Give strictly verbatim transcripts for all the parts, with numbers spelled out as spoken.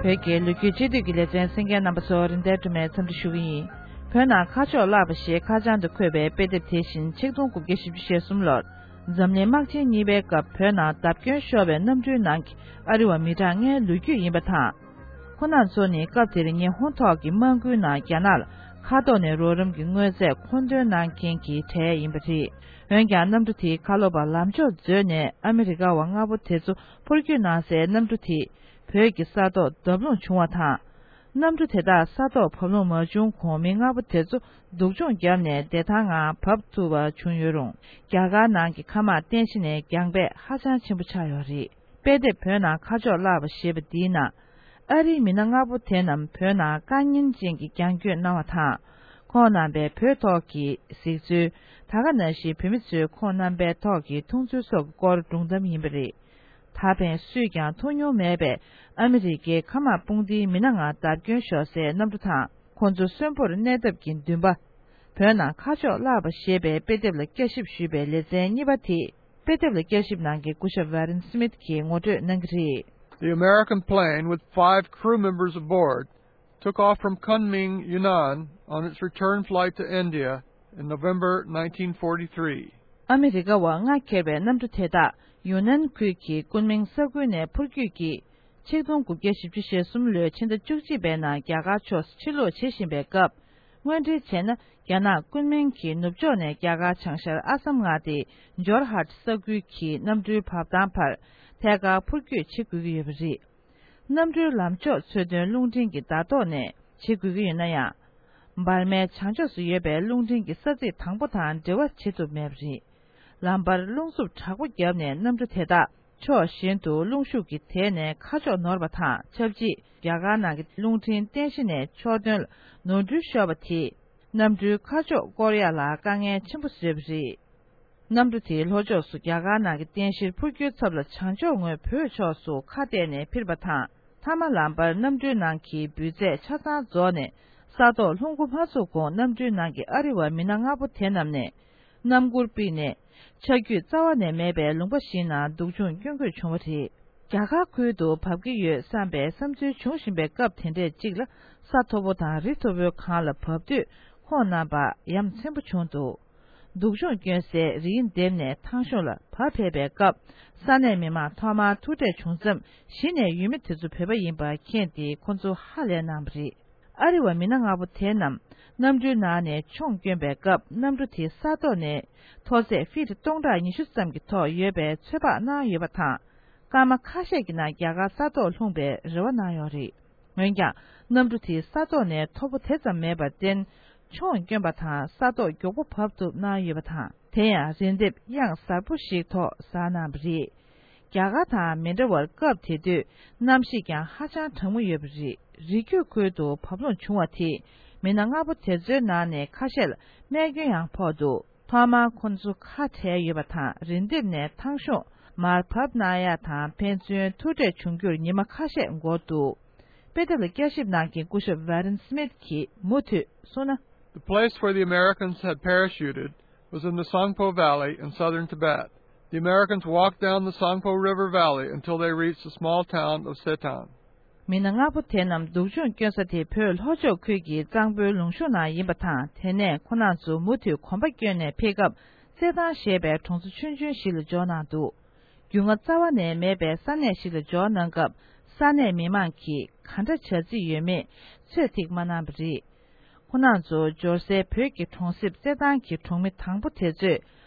བོད་ཀྱི་ལོ་རྒྱུས་སྤྱི་འཐུས་ཀྱི་ལེ་ཚན་གསན་མཁན་རྣམ་པ་ཚོ་རིན་ལྡན་སྒྲོལ་མས་འཚམས་འདྲི་ཞུ་གི་ཡིན། བོད་ནང་ཁ་ཕྱོགས་བརླག་པ་ཞེས་ཁ་བྱང་དུ་འཁོད་པའི་དཔེ་དེབ་དེ་བཞིན་ཆིག་སྟོང་དགུ་བརྒྱ་བཞི་བཅུ་ཞེ་གསུམ་ལོར་འཛམ་གླིང་དམག་ཆེན་གཉིས་པའི་སྐབས་བོད་ནང་བརྡབ་སྐྱོན་ཤོར་བའི་གནམ་གྲུའི་ནང་གི་ཨ་རི་བ་མི་གྲངས་ལྔའི་ལོ་རྒྱུས་ཡིན་པ་དང་། ཁོང་རྣམ་ཚོ་ནི་སྐབས་དེར་ཉི་ཧོང་ཐོག་གི་དམག་འགུལ་ནང་རྒྱ་ནག་ལ་མཁའ་ཐོག་ནས་རོགས་རམ་གྱི་དངོས་རྫས་མཁོ་འདོན་གནང་མཁན་གྱི་གྲས་ཡིན་པ་རེད། འོན་ཀྱང་གནམ་གྲུ་དེའི་ཁ་ལོ་པ་ལམ་འཇོག་མཛོད་ནས་ཨ་མི་རི་ཀ་བ་ལྔ་པོ་དེ་ཚོ་འཕུར་སྐྱོད་གནང་སའི་གནམ་གྲུ་དེས་བོད་ཀྱི་ས་ཐོག་བརྡབ་ལྷུང་བྱུང་བ་དང་། གནམ་གྲུ་དེ་དག་ས་ཐོག་བབས་ལྷུང་མ་བྱུང་གོང་མི་ལྔ་པོ་དེ་ཚོ་སྡུག་སྦྱོང་བརྒྱབ་ནས་བདེ་ཐང་ངང་བབས་ཐུབ་པ་བྱུང་ཡོད་རུང་། རྒྱ་གར་ནང་གི་མཁའ་དམག་རྟེན་གཞི་ནས་རྒྱང་འབད་ཧ་ཅང་ཆེན་པོ་ཆགས་ཡོད་རེད། དཔེ་དེབ་བོད་ནང་ཁ་ཕྱོགས་བརླག་པ་ཞེས་པ་འདིའི་ནང་། ཨ་རིའི་མི་སྣ་ལྔ་པོ་དེ་རྣམས་བོད་ནང་དཀའ་ངལ་ཅན་གྱི་རྒྱང་སྐྱོད་གནང་བ་དང་། ཁོང་རྣམ་པས་བོད་ཐོག་གི་གཟིགས་ཚུལ། ད་ག་ནང་བཞིན་བོད་མི་ཚོས་ཁོང་རྣམ་པའི་ཐོག་གི་མཐོང་ཚུལ་སོགས་ཀྱི་སྐོར་སྒྲུང་གཏམ་ཡིན་པ་རེད། ད་ཕན་སུས་ཀྱང་མཐོང་མྱོང་མེད་པའི་ཨ་མི་རི་ཀའི་མཁའ་དམག་དཔུང་སྡེའི་མི་སྣ་ལྔ་བརྡབ་སྐྱོན་ཤོར་སའི་གནམ་གྲུ་དང་། ཁོང་ཚོ་གསོན་པོར་གནས་ཐབས་ཀྱི་འདུན་པ། བོད་ནང་ཁ་ཕྱོགས་བརླག་པ་ཞེས་པའི་དཔེ་དེབ་ལ་བསྐྱར་ཞིབ་ཞུས་པའི་ལེ་ཚན་གཉིས་པ་དེས། དཔེ་དེབ་ལ་བསྐྱར་ཞིབ་གནང་མཁན་སྐུ་ཞབས་Warren Smith་གིས་ངོ་སྤྲོད་གནང་གི་རེད། The American plane with five crew members aboard took off from Kunming, Yunnan on its return flight to India in November nineteen forty-three. ཨ་མི་རི་ཀ་བ་ལྔ་འཁྱེར་བའི་གནམ་གྲུ་དེ་དག་ཡུན་ནན་ཁུལ་གྱི་ཀུན་མིང་ས་ཁུལ་ནས་འཕུར་སྐྱོད་ཀྱིས། ཆིག་སྟོང་དགུ་བརྒྱ་བཞི་བཅུ་ཞེ་གསུམ་ལོའི་ཕྱི་ཟླ་བཅུ་གཅིག་པའི་ནང་རྒྱ་གར་ཕྱོགས་སུ་ཕྱིར་ལོག་བྱེད་བཞིན་པའི་སྐབས། དངོས་འབྲེལ་བྱས་ན། རྒྱ་ནག་ཀུན་མིང་གི་ནུབ་ཕྱོགས་ནས་རྒྱ་གར་བྱང་ཤར་ཨ་སམ་མངའ་སྡེའི་ཇོར་ཧཱ་ཊི་ས་ཁུལ་གྱི་གནམ་གྲུའི་བབས་ཐང་བར་ཐད་ཀར་འཕུར་སྐྱོད་བྱེད་དགོས་ཀྱི་ཡོད་པ་རེད། གནམ་གྲུའི་ལམ་ཕྱོགས་འཚོལ་དོན་རླུང་འཕྲིན་གྱི་བརྡ་ཐོ་ནས་བྱེད་དགོས་ཀྱི་ཡོད་ན་ཡང་། འབར་མའི་བྱང་ཕྱོགས་སུ་ཡོད་པའི་རླུང་འཕྲིན་གྱི་ས་ཚིགས་དང་པོ་དང་འབྲེལ་བ་བྱེད་ཐུབ་མེད་པ་རེད། ལམ་བར་རླུང་འཚུབ་དྲག་པོ་བརྒྱབ་ནས་གནམ་གྲུ་དེ་དག་ཕྱོགས་གཞན་དུ་རླུང་ཤུགས་ཀྱིས་དེད་ནས་ཁ་ཕྱོགས་ནོར་བ་དང་། ཆབས་ཅིག་རྒྱ་གར་ནང་གི་རླུང་འཕྲིན་རྟེན་གཞི་ནས་ཕྱོགས་སྟོན་ལ་ནོར་འཁྲུལ་ཤོར་བ་དེས། གནམ་གྲུའི་ཁ་ཕྱོགས་སྐོར་ཡག་ལ་དཀའ་ངལ་ཆེན་པོ་བཟོས་པ་རེད། གནམ་གྲུ་དེའི་ལྷོ་ཕྱོགས་སུ་རྒྱ་གར་ནང་གི་རྟེན་གཞིར་འཕུར་རྒྱུའི་ཚབ་ལ་བྱང་ཕྱོགས་ངོས་བོད་ཕྱོགས་སུ་ཁ་གཏད་ནས་འཕུར་བ་དང་། མཐའ་མ་ལམ་བར་གནམ་གྲུའི་ནང་གི་འབུད་རྫས་ཆ་ཚང་རྫོགས་ནས་ས་ཐོག་ལྷུང་འགོ་མ་ཚུགས་གོང་གནམ་གྲུའི་ནང་གི་ཨ་རི་བ་མི་སྣ་ལྔ་པོ་དེ་རྣམས་ནས་སྣམ་མགུར་ཕུབ་ནས་ཆ་རྒྱུས་རྩ་བ་ནས་མེད་པའི་ལུང་པ་ཞིག་ནང་སྡུག་སྦྱོང་སྐྱོན་དགོས་བྱུང་བ་རེད། རྒྱ་གར་ཁུལ་དུ་བབས་ཀྱི་ཡོད་བསམ་པའི་བསམ་ཚུལ་འབྱུང་བཞིན་པའི་སྐབས་དེ་འདྲས་གཅིག་ལ་ས་མཐོ་པོ་དང་རི་མཐོ་པོའི་སྒང་ལ་བབས་དུས་ཁོང་རྣམ་པ་ཡ་མཚན་པོ་བྱུང་འདུག་སྡུག་སྦྱོང་སྐྱོན་སའི་རིའི་ལྡེབས་ནས་ཐང་གཤོང་ལ་བབས་ཕེབས་པའི་སྐབས་ས་གནས་མི་མང་ཐོག་མར་ཐུག་འཕྲད་བྱུང་མཚམས་གཞི་ནས་ཡུལ་མི་དེ་ཚོ་བོད་པ་ཡིན་པ་མཁྱེན་ཏེ་ཁོང་ཚོ་ཧ་ལས་གནང་བ་རེད། ཨ་རི་བ་མི་སྣ་ལྔ་པོ་དེ་རྣམས་གནམ་གྲུའི་ནང་ནས་མཆོང་བསྐྱོན་པའི་སྐབས་གནམ་གྲུ་དེ་ས་ཐོག་ནས་མཐོ་ཚད་ཕིཊ་སྟོང་ཕྲག་ཉི་ཤུ་ཙམ་གྱི་ཐོག་ཡོད་པའི་ཚོད་དཔག་གནང་ཡོད་པ་དང་། སྐར་མ་ཁ་ཤས་ཀྱི་ནང་རྒྱ་གར་ས་ཐོག་ལྷུང་པའི་རེ་བ་གནང་ཡོད་རེད། འོན་ཀྱང་གནམ་གྲུ་དེ་ས་ཐོག་ནས་མཐོ་པོ་དེ་ཙམ་མེད་པར་བརྟེན། མཆོང་བསྐྱོན་པ་དང་ས་ཐོག་མགྱོགས་པོ་བབས་ཐུབ་གནང་ཡོད་པ་དང་། དེ་ཡང་རི་ལྡེབས་གཡང་གཟར་པོ་ཞིག་ཐོག་གཟར་གནང་བ་རེད། རྒྱ་གར་དང་མི་འདྲ་བར་སྐབས་དེ་དུས་གནམ་གཤིས་ཀྱང་ཧ་ཅང་གྲང་མོ་ཡོད་པ་རེད། རི་རྒྱུད་ཁུལ་དུ་བབས་ལྷུང་བྱུང་བ་དེས་མི་སྣ་ལྔ་པོ་དེ་ཚོའི་ནང་ནས་ཁ་ཤས་ལ་རྨས་སྐྱོན་ཡང་ཕོག་འདུག་ཐོག་མར་ཁོ་ཚོ་ཁ་བྲལ་ཡོད་པ་དང་རི་ལྡེབས་ནས་ཐང་གཤོང་མར་བབས་གནང་ཡག་དང་ཕན་ཚུན་ཐུག་འཕྲད་བྱུང་རྒྱུར་ཉི་མ་ཁ་ཤས་འགོར་འདུག་དཔེ་དེབ་ལ་བསྐྱར་ཞིབ་གནང་མཁན་སྐུ་ཞབས་Warren Smith་གྱིས་མུ་མཐུད་གསུངས་ན། The place where the Americans had parachuted was in the Sangpo Valley in southern Tibet. The Americans walked down the Sangpo River Valley until they reached the small town of Setan. མི་སྣ་ལྔ་པོ་དེ་རྣམས་སྡུག་སྦྱོང་སྐྱོན་ས་དེ་བོད་ལྷོ་ཕྱོགས་ཁུལ་གྱི་གཙང་པོའི་ལུང་གཤོང་ནང་ཡིན་པ་དང་། དེ་ནས་ཁོ་རྣམ་ཚོ་མུ་མཐུད་གོམ་པ་བསྐྱོན་ནས་ཕེབས་སྐབས་སེ་ཐང་ཞེས་པའི་གྲོང་ཚོ་ཆུང་ཆུང་ཞིག་ལ་འབྱོར་གནང་འདུག་རྒྱུས་མངའ་རྩ་བ་ནས་མེད་པའི་ས་གནས་ཤིག་ལ་འབྱོར་གནང་སྐབས་ས་གནས་མི་མང་གིས་ག་འདྲ་བྱ་རྩིས་ཡོད་མེད་ཚོད་ཐིག་མ་གནང་བ་རེད། ཁོ་རྣམ་ཚོ་འབྱོར་སའི་བོད་ཀྱི་གྲོང་གསེབ་རྩེད་ཐང་གི་གྲོང་མི་དང་པོ་དེ་ཚོས་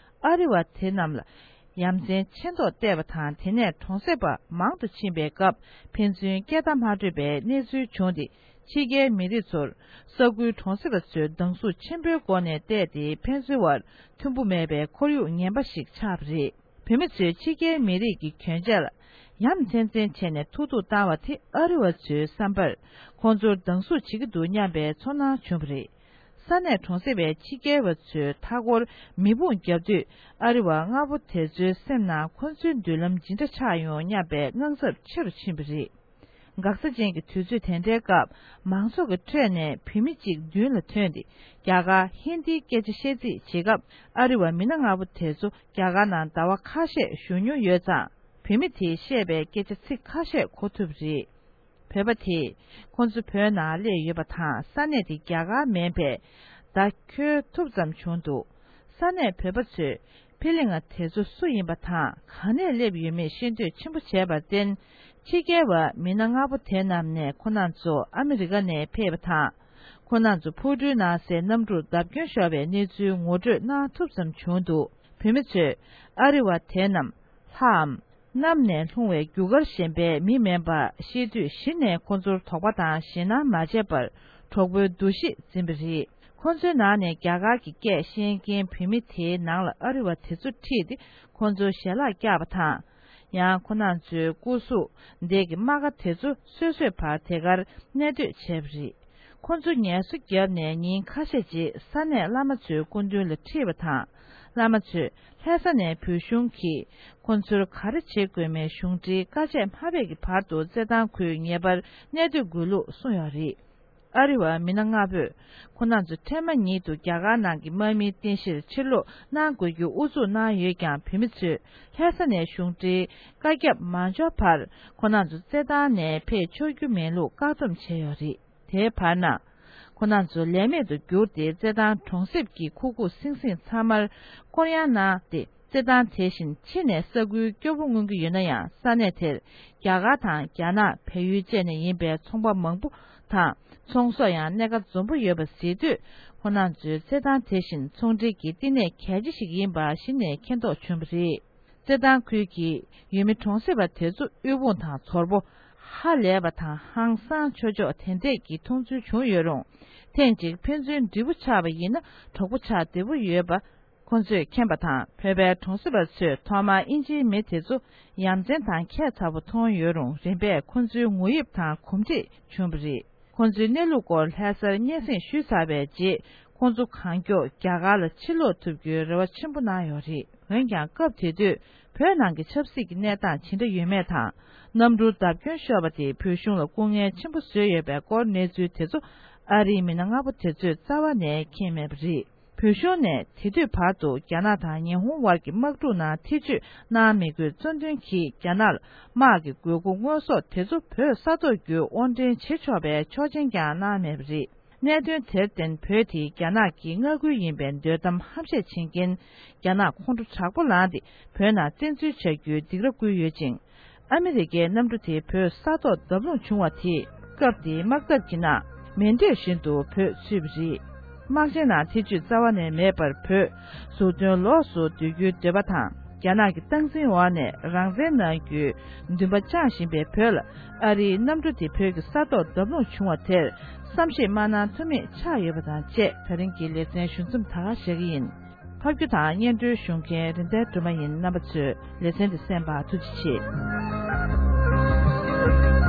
ཨ་རི་བ་དེ་རྣམས་ལ་ཡ་མཚན་ཆེ་མདོག་བལྟས་པ་དང་། དེ་ནས་གྲོང་གསེབ་པ་མང་དུ་ཕྱིན་པའི་སྐབས་ཕན་ཚུན་སྐད་བརྡ་མ་འཕྲོད་པའི་གནས་ཚུལ་བྱུང་སྟེ། ཕྱི་རྒྱལ་མི་རིགས་ཚོར་ས་ཁུལ་གྲོང་གསེབ་པ་ཚོས་སྡང་ཟུག་ཆེན་པོའི་སྒོ་ནས་བལྟས་ཏེ་ཕན་ཚུན་བར་མཐུན་པོ་མེད་པའི་ཁོར་ཡུག་ངན་པ་ཞིག་ཆགས་པ་རེད། བོད་མི་ཚོས་ཕྱི་རྒྱལ་མི་རིགས་ཀྱི་གྱོན་ཆས་ལ་ཡ་མཚན་མཚན་བྱས་ནས་ཐུགས་སྡུག་བཏང་བ་དེ་ཨ་རི་བ་ཚོའི་བསམ་པར་ཁོང་ཚོར་སྡང་ཟུག་བྱེད་ཀྱི་འདུག་སྙམ་པའི་ཚོར་སྣང་བྱུང་བ་རེད། ས་གནས་གྲོང་གསེབ་པའི་ཕྱི་རྒྱལ་བ་ཚོས་མཐའ་འཁོར་མེ་དཔུང་བརྒྱབ་དུས་ཨ་རི་བ་ལྔ་པོ་དེ་ཚོའི་སེམས་ནང་ཁོ་ཚོའི་མདུན་ལམ་ཇི་འདྲ་ཆགས་ཡོང་སྙམ་པའི་དངངས་འཚབ་ཆེ་རུ་ཕྱིན་པ་རེད། འགག་རྩ་ཅན་གྱི་དུས་ཚོད་དེ་འདྲའི་སྐབས་མང་ཚོགས་ཀྱི་ཁྲོད་ནས་བུད་མེད་ཅིག་མདུན་ལ་ཐོན་ཏེ་རྒྱ་གར་ཧིན་དིའི་སྐད་ཆ་བཤད་རྩིས་བྱེད་སྐབས་ཨ་རི་བ་མི་སྣ་ལྔ་པོ་དེ་ཚོ་རྒྱ་གར་ནང་ཟླ་བ་ཁ་ཤས་བཞུགས་མྱོང་ཡོད་ཙང་བུད་མེད་དེས་བཤད་པའི་སྐད་ཆ་ཚིག་ཁ་ཤས་གོ་ཐུབ་པ་རེད། བོད་པ་དེས་ཁོང་ཚོ་བོད་ནང་སླེབས་ཡོད་པ་དང་། ས་གནས་དེ་རྒྱ་གར་མིན་པས་བརྡ་འཁྱོལ་ཐུབ་ཙམ་བྱུང་འདུག། ས་གནས་བོད་པ་ཚོས་ཕི་ལིང་ང་དེ་ཚོ་སུ་ཡིན་པ་དང་། གང་ནས་སླེབས་ཡོད་མེད་ཤེས་འདོད་ཆེན་པོ་བྱས་པར་བརྟེན། ཕྱི་རྒྱལ་བ་མི་སྣ་ལྔ་པོ་དེ་རྣམས་ནས་ཁོང་རྣམ་ཚོ་ཨ་མི་རི་ཀ་ནས་ཕེབས་པ་དང་། ཁོང་རྣམ་ཚོ་ཕུ་ཀྲུའི་ནང་གསལ་གནམ་གྲུར་བརྡབ་སྐྱོན་ཤོར་བའི་གནས་ཚུལ་ངོ་སྤྲོད་གནང་ཐུབ་ཙམ་བྱུང་འདུག། བོད་མི་ཚོས་ཨ་རི་བ་དེ་རྣམས་ལྷའམ་གནམ་ནས་ལྷུང་བའི་རྒྱུ་སྐར་གཞན་པའི་མི་མིན་པ་ཤེས་དུས། གཞི་ནས་ཁོང་ཚོར་དོགས་པ་དང་ཞེད་སྣང་མ་བྱས་པར་གྲོགས་པོའི་འདུ་ཤེས་འཛིན་པ་རེད། ཁོང་ཚོའི་ནང་ནས་རྒྱ་གར་གྱི་སྐད་ཤེས་མཁན་བོད་མི་དེའི་ནང་ལ་ཨ་རི་བ་དེ་ཚོ་ཁྲིད་དེ་ཁོང་ཚོའི་ཞལ་ལག་བཀྱགས་པ་དང་། ཡང་ཁོང་རྣམ་ཚོའི་སྐུ་གཟུགས་འདས་ཀྱི་རྨ་ཁ་དེ་ཚོ་སོ་སོས་ཕར་དེ་གར་གནས་སྡོད་བྱས་པ་རེད། ཁོང་ཚོ་ངལ་གསོ་བརྒྱབ་ནས་ཉིན་ཁ་ཤས་རྗེས་ས་གནས་བླ་མ་ཚོའི་སྐུ་མདུན་ལ་ཁྲིད་པ་དང་། བླ་མ་ཚོས་ལྷ་ས་ནས་བོད་གཞུང་གིས་ཁོང་ཚོར་ག་རེ་བྱེད་དགོས་མེད་གཞུང་འབྲེལ་བཀའ་ཆད་མ་ཕེབས་ཀྱི་བར་དུ་རྩེད་ཐང་ཁུལ་ངེས་པར་གནས་སྡོད་དགོས་ལུགས་གསུངས་ཡོད་རེད། ཨ་རི་བ་མི་སྣ་ལྔ་པོས་ཁོང་རྣམ་ཚོ་འཕྲལ་མ་ཉིད་དུ་རྒྱ་གར་ནང་གི་དམག་མིའི་རྟེན་གཞིར་ཕྱིར་ལོག་གནང་དགོས་རྒྱུ་ཨུ་ཚུགས་གནང་ཡོད་ཀྱང་། བོད་མི་ཚོས་ལྷ་ས་ནས་གཞུང་འབྲེལ་བཀའ་ཁྱབ་མ་འབྱོར་བར་ཁོང་རྣམ་ཚོ་རྩེད་ཐང་ནས་ཕེབས་ཆོག་རྒྱུ་མེད་ལུགས་བཀག་སྡོམ་བྱས་ཡོད་རེད། དེའི་བར་ན། ཁོང་རྣམ་ཚོ་ལས་མེད་དུ་གྱུར་ཏེ་རྩེད་ཐང་གྲོང་གསེབ་ཀྱི་ཁུག་ཁུག་སིང་སིང་ཚང་མར་སྐོར་གཡང་གནང་སྟེ། རྩེད་ཐང་དེ་བཞིན་ཕྱི་ནས་ས་ཁུལ་སྐྱོ་པོ་མངོན་གྱི་ཡོད་ན་ཡང་། ས་གནས་དེར་རྒྱ་གར་དང་རྒྱ་ནག་བལ་ཡུལ་བཅས་ནས་ཡིན་པའི་ཚོང་པ་མང་པོ་དང་། ཚོང་ཟོག་ཡང་གནས་ཀ་འཛོམས་པོ་ཡོད་པ་གཟིགས་དུས། ཁོང་རྣམ་ཚོའི་རྩེད་ཐང་དེ་བཞིན་ཚོང་འབྲེལ་གྱི་བསྟི་གནས་གལ་ཆེ་ཞིག་ཡིན་པ་གཞི་ནས་མཁྱེན་རྟོགས་བྱུང་བ་རེད། རྩེད་ཐང་ཁུལ་གྱི་ཡུལ་མི་གྲོང་གསེབ་པ་དེ་ཚོ་དབུལ་ཕོངས་དང་ཚོར་པོ། ཧ་ལས་པ་དང་ཧང་སང་ཆོག་ཆོག་དེ་འདྲས་ཀྱི་མཐོང་ཚུལ་བྱུང་ཡོད་རུང་། ཐེངས་གཅིག་ཕན་ཚུན་འདྲིས་པོ་ཆགས་པ་ཡིན་ན་གྲོགས་པོ་ཆགས་བདེ་པོ་ཡོད་པ་ཁོང་ཚོས་མཁྱེན་པ་དང་། བོད་པའི་གྲོང་གསེབ་པ་ཚོས་ཐོག་མར་དབྱིན་ཇིའི་མི་དེ་ཚོ་ཡ་མཚན་དང་ཁྱད་མཚར་པོ་མཐོང་ཡོད་རུང་། རིམ་པས་ཁོང་ཚོའི་ངོ་དབྱིབས་དང་གོམས་འདྲིས་བྱུང་བ་རེད། ཁོང་ཚོའི་གནས་ལུགས་སྐོར་ལྷ་སར་སྙན་སེང་ཞུས་ཚར་བའི་རྗེས། ཁོང་ཚོ་གང་མགྱོགས་རྒྱ་གར་ལ་ཕྱིར་ལོག་ཐུབ་རྒྱུའི་རེ་བ་ཆེན་པོ་གནང་ཡོད་རེད། འོན་ཀྱང་། སྐབས་དེ་དུས་བོད་ནང་གི་ཆབ་སྲིད་ཀྱི་གནས་སྟངས་ཇི་འདྲ་ཡོད་མེད་དང་། གནམ་གྲུར་བརྡབ་སྐྱོན་ཤོར་བ་དེས་བོད་གཞུང་ལ་སྐུ་ངལ་ཆེན་པོ་བཟོས་ཡོད་པའི་སྐོར་གནས་ཚུལ་དེ་ཚོ་ཨ་རིའི་མི་སྣ་ལྔ་པོ་དེ་ཚོས་རྩ་བ་ནས་མཁྱེན་མེད་པ་རེད། བོད་གཞུང་ནས་དེ་དུས་བར་དུ་རྒྱ་ནག་དང་ཉི་ཧོང་དབར་གྱི་དམག་འཁྲུག་ནང་ཐེ་བྱུས་གནང་མི་དགོས་གཙོ་འདོན་གྱིས། རྒྱ་ནག་ལ་དམག་གི་དགོས་མཁོ་དངོས་ཟོག་དེ་ཚོ་བོད་ས་ཐོག་བརྒྱུད་དབོར་འདྲེན་བྱེད་ཆོག་པའི་ཆོག་མཆན་ཀྱང་གནང་མེད་པ་རེད། གནད་དོན་དེར་བརྟེན། བོད་དེ་རྒྱ་ནག་གི་མངའ་ཁུལ་ཡིན་པའི་འདོད་གཏམ་ཧམ་བཤད་བྱེད་མཁན་རྒྱ་ནག་ཁོང་ཁྲོ་དྲག་པོ་ལངས་ཏེ། བོད་ནང་བཙན་འཛུལ་བྱ་རྒྱུའི་སྡིགས་ར་བསྐུལ་ཡོད་ཅིང་། ཨ་མི་རི་ཀའི་གནམ་གྲུ་དེ་བོད་ས་ཐོག་བརྡབ་ལྷུང་བྱུང་བ་དེས། སྐབས་དེའི་དམག་འཐབ་ཀྱི་ནང་མེ་མདོས་བཞིན་དུ་བོད་ཚུད་པ་རེད། དམག་ཆེན་ནང་ཐེ་བྱུས་རྩ་བ་ནས་མེད་པར། བོད་ཟུར་འདོན་ལོགས་སུ་སྡོད་རྒྱུའི་འདོད་པ་དང་། རྒྱ་ནག་གི་སྟངས་འཛིན་འོག་ནས་རང་བཙན་གནང་རྒྱུའི་འདུན་པ་བཅངས་བཞིན་པའི་བོད་ལ། ཨ་རིའི་གནམ་གྲུ་དེ་བོད་ཀྱི་ས་ཐོག་བརྡབ་ལྷུང་བྱུང་བ་དེར་བསམ་ཤེས་མ་གནང་ཐུབ་མེད་ཆགས་ཡོད་པ་དང་བཅས། ད་རིང་གི་ལེ་ཚན་ཞུ་མཚམས་ད་ག་བཞག་གི་ཡིན། ཕབ་སྒྱུར་དང་སྙན་སྒྲོན་ཞུ་མཁན་རིན་ལྡན་སྒྲོལ་མ་ཡིན། རྣམ་པ་ཚོས་ལེ་ཚན་འདི་གསན་པར་ཐུགས་རྗེ་ཆེ།